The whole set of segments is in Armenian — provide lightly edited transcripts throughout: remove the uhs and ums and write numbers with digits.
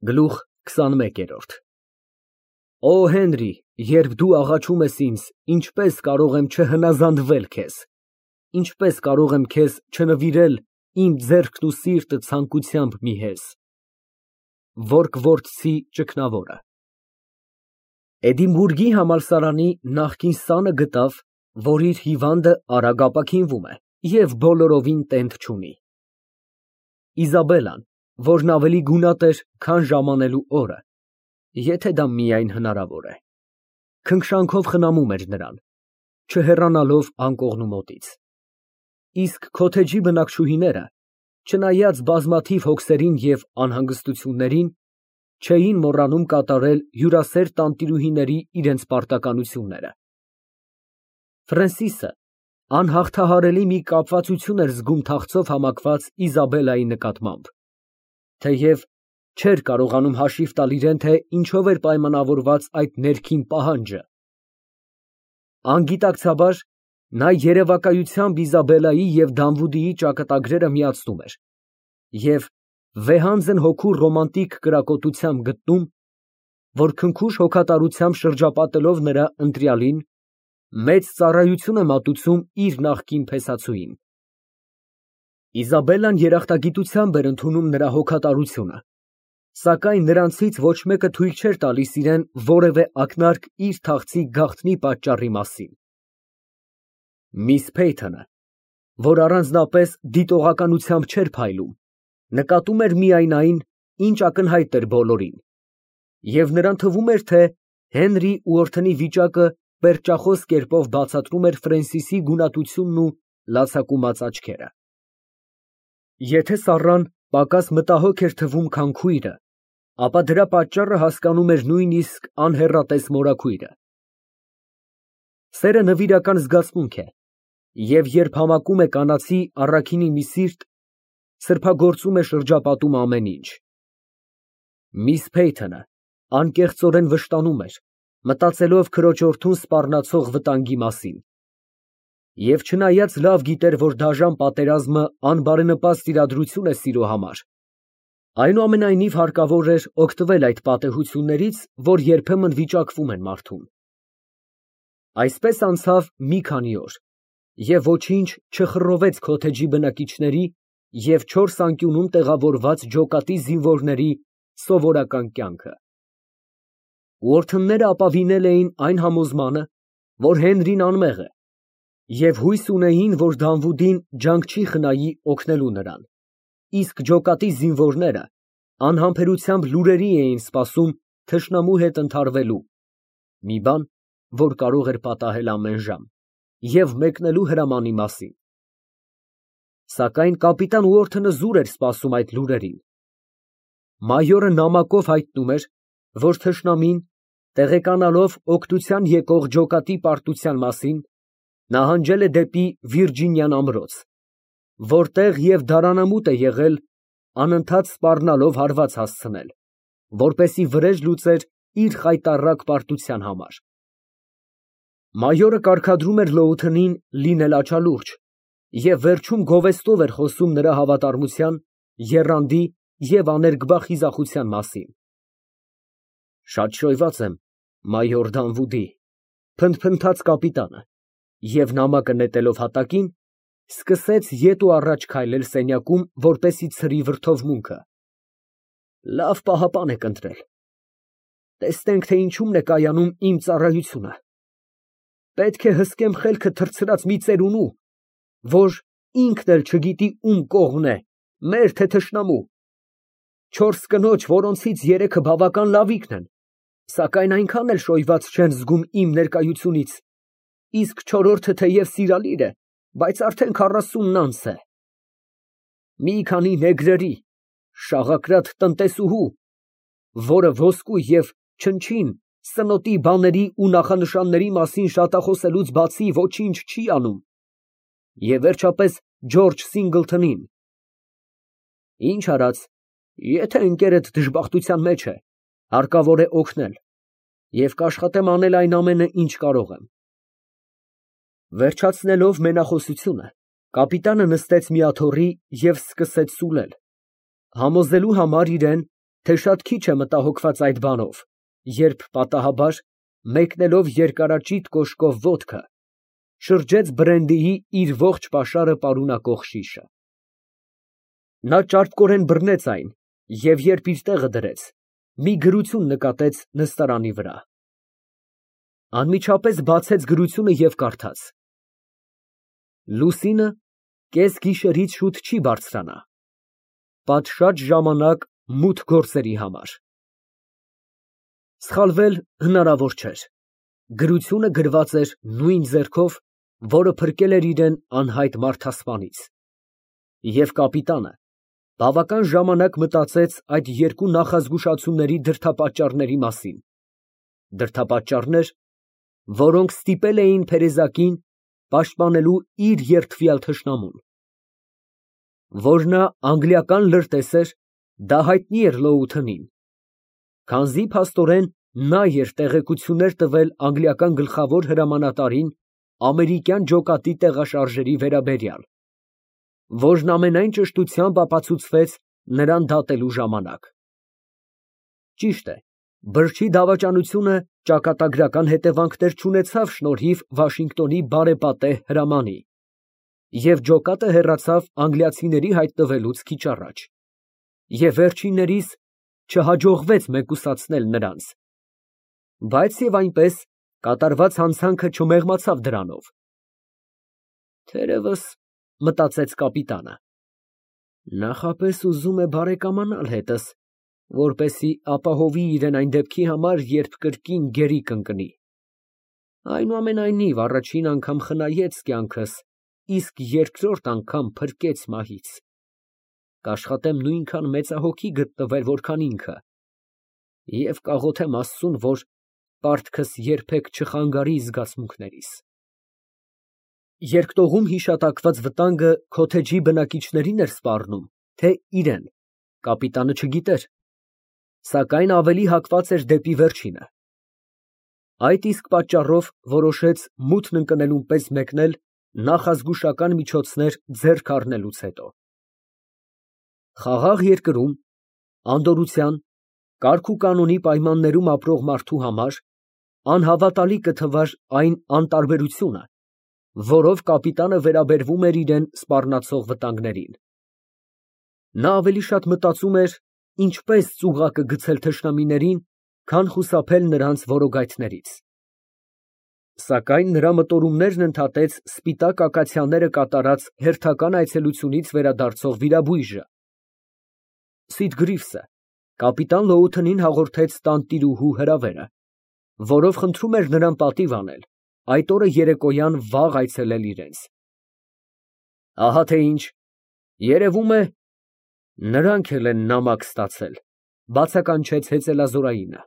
Գլուխ քսանմեկերորդ Օ Հենրի, երբ դու աղաչում ես ինձ, ինչպե՞ս կարող եմ չհնազանդվել քեզ, ինչպե՞ս կարող եմ քեզ չնվիրել իմ ձեռքն ու սիրտը ցանկությամբ մի հեզ։ Որկվորցի ճգնավորը Էդինբուրգի համալսարանի նախկին սանը գտավ, որ իր հիվանդը արագ ապաքինվում է և բոլորովին տենդ չունի։ Իզաբելլան, որն ավելի գունատ էր, քան ժամանելու օրը, եթե դա միայն հնարավոր է, քնքշանքով խնամում էր նրան, չհեռանալով անկողնու մոտից։ Իսկ քոթեջի բնակչուհիները, չնայած բազմաթիվ հոգսերին և անհանգստություններին, չէին մոռանում կատարել հյուրասեր տանտիրուհիների իրենց պարտականությունները։ Ֆրենսիսը անհաղթահարելի մի կապվածություն էր զգում թախծով համակված Իզաբելլայի նկատմամբ, թեև չէր կարողանում հաշիվ տալ իրեն, թե ինչով էր պայմանավորված այդ ներքին պահանջը։ Անգիտակցաբար նա երևակայությամբ Իզաբելլայի և Դանվուդիի ճակատագրերը միացնում էր և վեհանձն հոգու ռոմանտիկ կրակոտությամբ գտնում, որ քնքուշ հոգատարությամբ շրջապատելով նրա ընտրյալին, մեծ ծառայություն է մատուցում իր նախկին փեսացուին։ Իզաբելլան երախտագիտությամբ էր ընդունում նրա հոգատարությունը, սակայն նրանցից ոչ մեկը թույլ չէր տալիս իրեն որևէ ակնարկ իր թախծի գաղտնի պատճառի մասին։ Միս Փեյթոնը, որ առանձնապես դիտողականությամբ չէր փայլում, նկատում էր միայն այն, ինչ ակնհայտ էր բոլորին, և նրան թվում էր, թե Հենրի ուորթնի վիճակը պերճախոս կերպով բացատրում էր Ֆրենսիսի գունատությունն ու լացակումած աչքերը։ Եթե Սառան պակաս մտահոգ էր թվում, քան քույրը, ապա դրա պատճառը հասկանում էր նույնիսկ անհեռատես մորաքույրը։ Սերը նվիրական զգացմունք է, և երբ համակում է կանացի առաքինի մի սիրտ, սրբագործում է շրջապատում ամեն ինչ։ Միս Փեյթոնը անկեղծորեն վշտանում էր, մտածելով քրոջորդուն սպառնացող վտանգի մասին, և չնայած լավ գիտեր, որ դաժան պատերազմը անբարենպաստ իրադրություն է սիրո համար, այնուամենայնիվ հարկավոր էր օգտվել այդ պատեհություններից, որ երբեմն վիճակվում են մարդուն։ Այսպես անցավ մի քանի օր, և ոչինչ չխռովեց քոթեջի բնակիչների և 4 անկյունում տեղավորված ջոկատի զինվորների սովորական կյանքը։ Ուորթնները ապավինել էին այն համոզմանը, որ Հենրին անմեղ է, և հույս ունեին, որ Դանվուդին ջանք չի խնայի օգնելու նրան, իսկ ջոկատի զինվորները անհամբերությամբ լուրերի էին սպասում թշնամու հետ ընդհարվելու, մի բան, որ կարող էր պատահել ամեն ժամ, և մեկնելու հրամանի մասին։ Սակայն կապիտան Ուորթնը զուր էր սպասում այդ լուրերին։ Մայորը նամակով հայտնում էր, որ թշնամին, տեղեկանալով օգնության եկող ջոկատի պարտության մասին, նահանջել է դեպի Վիրջինիան ամրոց, որտեղ և դարանամուտ է եղել, անընդհատ սպառնալով հարված հասցնել, որպեսզի վրեժ լուծեր իր խայտառակ պարտության համար։ Մայորը կարգադրում էր Լոութնին լինել աչալուրջ և վերջում գովեստով էր խոսում նրա հավատարմության, եռանդի և աներկբա խիզախության մասին։ Շատ շոյված եմ, մայոր Դանվուդի, փնթփնթաց կապիտանը, և նամակը նետելով հատակին, սկսեց ետ ու առաջ քայլել սենյակում, որպեսզի ցրի վրդովմունքը։ Լավ պահապան եք ընտրել։ Տեսնենք, թե ինչումն է կայանում իմ ծառայությունը։ Պետք է հսկեմ խելքը թռցրած մի ծերունու, որ ինքն էլ չգիտի ում կողմն է, մեր թե թշնամու։ 4 կնոջ, որոնցից 3-ը բավական լավիկն են, սակայն այնքան էլ շոյված չեն զգում իմ ներկայությունից, իսկ 4-րդը թեև սիրալիր է, բայց արդեն 40-ն անց է։ Մի քանի նեգրերի, շաղակրատ տնտեսուհու, որը ոսկու և չնչին սնոտի բաների ու նախանշանների մասին շատախոսելուց բացի ոչինչ չի անում, և վերջապես Ջորջ Սինգլթոնին։ Ինչ արած, եթե ընկերդ դժբախտության մեջ է, հարկավոր է օգնել, և կաշխատեմ անել այն ամենը, ինչ կարող եմ։ Վերջացնելով մենախոսությունը, կապիտանը նստեց մի աթոռի և սկսեց սուլել, համոզելու համար իրեն, թե շատ քիչ է մտահոգված այդ բանով, երբ պատահաբար, մեկնելով երկարաճիտ կոշկով ոտքը, շրջեց բրենդիի իր ողջ պաշարը պարունակող շիշը։ Նա ճարպկորեն բռնեց այն և երբ իր տեղը դրեց, մի գրություն նկատեց նստարանի վրա։ Անմիջապես բացեց գրությունը և կարդաց. Լուսինը կես գիշերից շուտ չի բարձրանա, պատշաճ ժամանակ մութ գործերի համար։ Սխալվել հնարավոր չէր, գրությունը գրված էր նույն ձեռքով, որը փրկել էր իրեն անհայտ մարդասպանից, և կապիտանը բավական ժամանակ մտածեց այդ երկու նախազգուշացումների դրդապատճառների մասին, դրդապատճառներ, որոնք ստիպել էին Թերեզակին պաշտպանելու իր երդվյալ թշնամուն։ Որ նա անգլիական լրտես էր, դա հայտնի էր Լոութընին, քանզի փաստորեն նա էր տեղեկություններ տվել անգլիական գլխավոր հրամանատարին ամերիկյան ջոկատի տեղաշարժերի վերաբերյալ, որն ամենայն ճշտությամբ ապացուցվեց նրան դատելու ժամանակ։ Ճիշտ է, բրջի դավաճանությունը ճակատագրական հետևանքներ չունեցավ շնորհիվ Վաշինգտոնի բարեպատեհ հրամանի, և ջոկատը հեռացավ անգլիացիների հայտնվելուց քիչ առաջ, և վերջիններիս չհաջողվեց մեկուսացնել նրանց, բայց և այնպես կատարված հանցանքը չմեղմացավ դրանով։ Թերևս, մտածեց կապիտանը, նախապես ուզում է բարեկամանալ հետս, որպեսզի ապահովի իրեն այն դեպքի համար, երբ կրկին գերի կընկնի։ Այնուամենայնիվ, առաջին անգամ խնայեց կյանքս, իսկ երկրորդ անգամ փրկեց մահից։ Կաշխատեմ նույնքան մեծահոգի գտնվել, որքան ինքը, և կաղոթեմ Աստծուն, որ պարտքս երբեք չխանգարի զգացմունքներիս։ Երկտողում հիշատակված վտանգը քոթեջի բնակիչների՞ն էր սպառնում, թե իրեն, կապիտանը չգիտեր, սակայն ավելի հակված էր դեպի վերջինը։ Այդ իսկ պատճառով որոշեց մութն ընկնելուն պես մեկնել նախազգուշական միջոցներ ձեռք առնելուց հետո։ Խաղաղ երկրում, անդորրության, կարգուկանոնի պայմաններում ապրող մարդու համար անհավատալի կթվար այն անտարբերությունը, որով կապիտանը վերաբերվում էր իրան սպառնացող վտանգներին։ Նա ավելի շատ մտածում էր ինչպես ծուղակը գցել թշնամիներին, քան խուսափել նրանց որոգայթներից։ Սակայն նրա մտորումներն ընդհատեց սպիտակ ակացիաները կատարած հերթական այցելությունից վերադարձող վիրաբույժը։ Սիթգրիվսը կապիտան Լոութընին հաղորդեց տանտիրուհու հրավերը, որով խնդրում էր նրան պատիվ անել այդ օրը երեկոյան վաղ այցելել իրենց։ Ահա թե ինչ, երևում է, նրանք էլ են նամակ ստացել, բացականչեց հեծելազորայինը։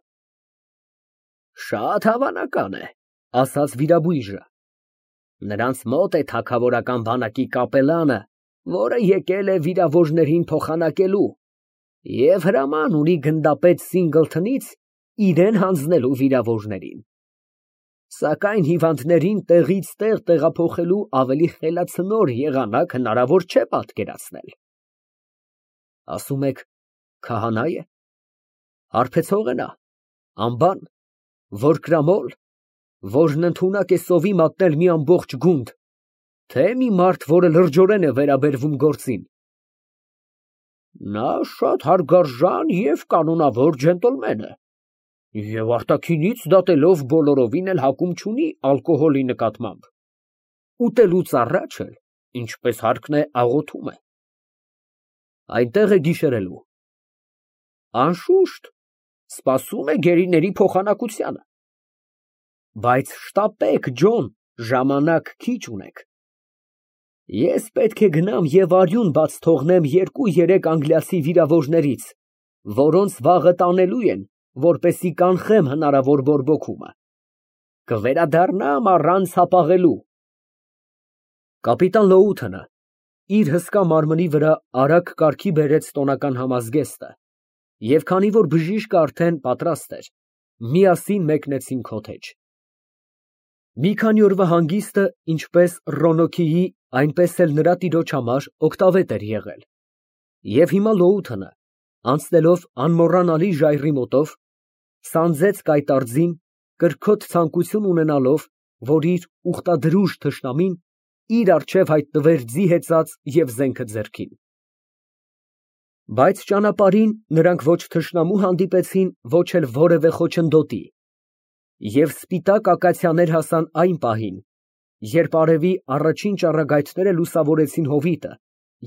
Շատ հավանական է, ասաց վիրաբույժը։ Նրանց մոտ է թագավորական բանակի կապելանը, որը եկել է վիրավորներին փոխանակելու և հրաման ունի գնդապետ Սինգլթոնից իրեն հանձնելու վիրավորներին։ Սակայն հիվանդներին տեղից տեղ տեղափոխելու ավելի խելացնոր եղանակ հնարավոր չէ պատկերացնել։ Ասում եք քահանա է, հարբեցող է նա, անբան, որկրամոլ, որն ընդունակ է սովի մատնել մի ամբողջ գունդ, թե մի մարդ, որը լրջորեն է վերաբերվում գործին։ Նա շատ հարգարժան և կանոնավոր ջենտլմեն է, և արտաքինից դատելով բոլորովին էլ հակում չունի ալկոհոլի նկատմամբ, ուտելուց առաջ էլ, ինչպես հարկն է, աղոթում է։ Այնտեղ է գիշերելու։ Անշուշտ, սպասում է գերիների փոխանակությանը։ Բայց շտապեք, Ջոն, ժամանակ քիչ ունեք։ Ես պետք է գնամ և արյուն բաց թողնեմ 2-3 անգլիացի վիրավորներից, որոնց վաղը տանելու են, որպեսզի կանխեմ հնարավոր բորբոքումը։ Կվերադառնամ առանց հապաղելու։ Կապիտան Լոութընը իր հսկա մարմնի վրա արագ կարգի բերեց տոնական համազգեստը, և քանի որ բժիշկը արդեն պատրաստ էր, միասին մեկնեցին քոթեջ։ Մի քանի օրվա հանգիստը ինչպես Ռոնոքիի, այնպես էլ նրա տիրոջ համար օգտավետ էր եղել, և հիմա Լոութընը Անցնելով անմոռանալի ժայռի մոտով, սանձեց կայտարձին, կրքոտ ցանկություն ունենալով, որ իր ուխտադրուժ թշնամին իր առջև հայտնվեր ձի հեծած և զենքը ձեռքին։ Բայց ճանապարհին նրանք ոչ թշնամու հանդիպեցին, ոչ էլ որևէ խոչընդոտի, և սպիտակ ակացիաներ հասան այն պահին, երբ արևի առաջին ճառագայթները լուսավորեցին հովիտը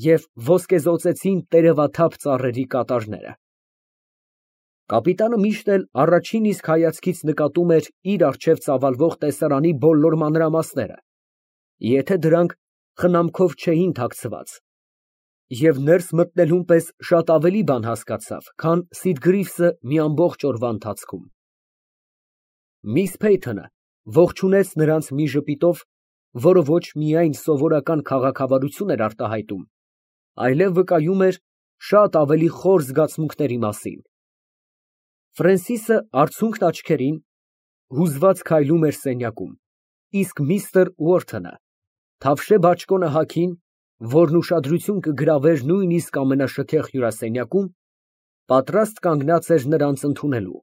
և ոսկեզօծեցին տերևաթափ ծառերի կատարները։ Կապիտանը միշտ էլ առաջին իսկ հայացքից նկատում էր իր առջև ծավալվող տեսարանի բոլոր մանրամասները, եթե դրանք խնամքով չէին թաքցված, և ներս մտնելուն պես շատ ավելի բան հասկացավ, քան Սիդգրիվսը մի ամբողջ օրվա ընթացքում։ Միս Փեյթոնը ողջունեց նրանց մի ժպիտով, որը ոչ միայն սովորական քաղաքավարություն էր արտահայտում, այլև վկայում էր շատ ավելի խոր զգացմունքների մասին։ Ֆրենսիսը արցունքն աչքերին հուզված քայլում էր սենյակում, իսկ միստր Ուորթոնը, թավշե բաճկոնը հագին, որն ուշադրություն կգրավեր նույնիսկ ամենաշքեղ հյուրասենյակում, պատրաստ կանգնած էր նրանց ընդունելու։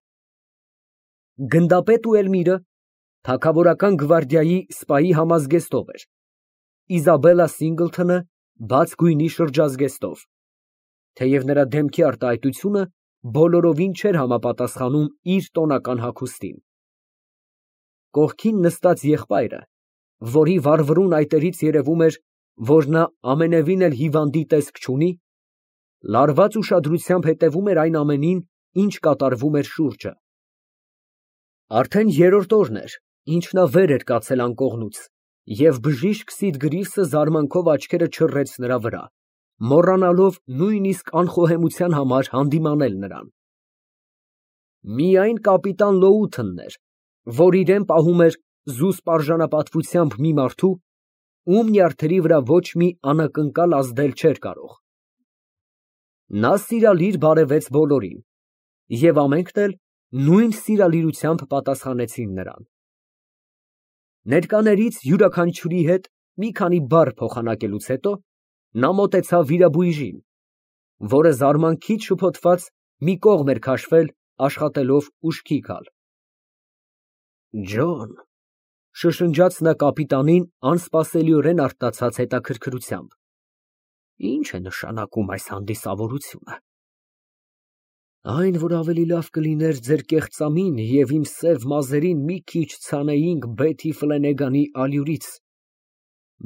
Գնդապետ Ուելմիրը թագավորական գվարդիայի սպայի համազգեստով էր, Իզաբելլա Սինգլթոնը բաց գույնի շրջազգեստով, թեև նրա դեմքի արտահայտությունը բոլորովին չէր համապատասխանում իր տոնական հագուստին։ Կողքին նստած եղբայրը, որի վառվռուն այտերից երևում էր, որ նա ամենևին էլ հիվանդի տեսք չունի, լարված ուշադրությամբ հետևում էր այն ամենին, ինչ կատարվում էր շուրջը։ Արդեն երրորդ օրն էր, ինչ նա վեր էր կացել անկողնուց, և բժիշկ Սիդգրիվսը զարմանքով աչքերը չռեց նրա վրա, մոռանալով նույնիսկ անխոհեմության համար հանդիմանել նրան։ Միայն կապիտան Լոութոնն էր, որ իրան պահում էր զուսպ արժանապատվությամբ մի մարդու, ում նյարդերի վրա ոչ մի անակնկալ ազդել չէր կարող։ Նա սիրալիր բարևեց բոլորին, և ամենքն էլ նույն սիրալիրությամբ պատասխանեցին նրան։ Ներկաներից յուրաքանչյուրի հետ մի քանի բառ փոխանակելուց հետո նա մոտեցավ վիրաբույժին, որը զարմանքից շփոթված մի կողմ էր քաշվել, աշխատելով ուշքի գալ։ Ջոն, շշնջաց նա կապիտանին անսպասելիորեն արթնացած հետաքրքրությամբ, ի՞նչ է նշանակում այս հանդիսավորությունը։ Այն, որ ավելի լավ կլիներ ձեր կեղծամին և իմ սև մազերին մի քիչ ցանեինք Բեթի Ֆլենեգանի ալյուրից,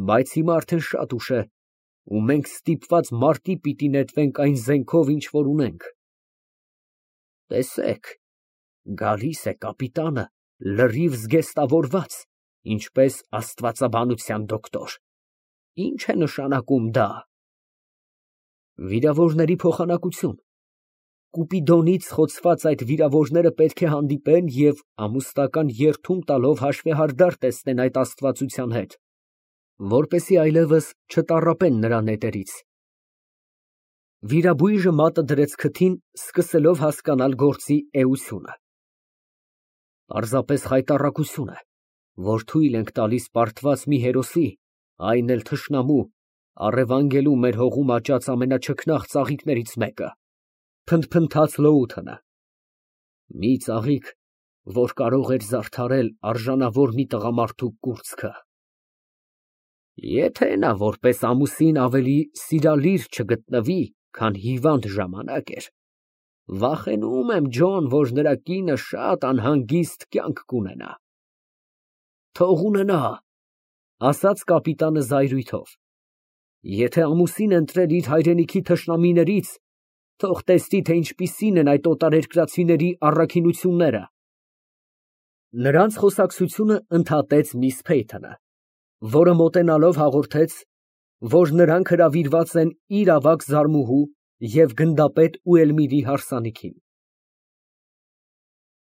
բայց հիմա արդեն շատ ուշ է, ու մենք ստիպված մարտի պիտի նետվենք այն զենքով, ինչ որ ունենք։ Տեսեք, գալիս է կապիտանը լրիվ զգեստավորված, ինչպես աստվածաբանության դոկտոր։ Ինչ է նշանակում դա։ Վիրավորների փոխանակություն։ Կուպիդոնից խոցված այդ վիրավորները պետք է հանդիպեն և ամուսնական երդում տալով հաշվեհարդար տեսնեն այդ աստվածության հետ, որպեսզի այլևս չտառապեն նրա նետերից։ Վիրաբույժը մատը դրեց քթին, սկսելով հասկանալ գործի էությունը։ Պարզապես խայտառակություն է, որ թույլ ենք տալիս պարտված մի հերոսի, այն էլ թշնամու, առևանգելու մեր հողում աճած ամենաչքնաղ ծաղիկներից մեկը, փնթփնթաց Լոութոնը։ Մի ծաղիկ, որ կարող էր զարդարել արժանավոր մի տղամարդու կուրծքը։ Եթե նա որպես ամուսին ավելի սիրալիր չգտնվի, քան հիվանդ ժամանակ էր, վախենում եմ, Ջոն, որ նրա կինը շատ անհանգիստ կյանք կունենա։ Թող ունենա, ասաց կապիտանը զայրույթով։ Եթե ամուսին ընտրել իր հայրենիքի թշնամիներից, թող տեսնի, թե ինչպիսին են այդ օտարերկրացիների առաքինությունները։ Նրանց խոսակցությունը ընդհատեց միս Փեյթոնը, որը մոտենալով հաղորդեց, որ նրանք հրավիրված են իր ավագ զարմուհու և գնդապետ Ուելմիրի հարսանիքին։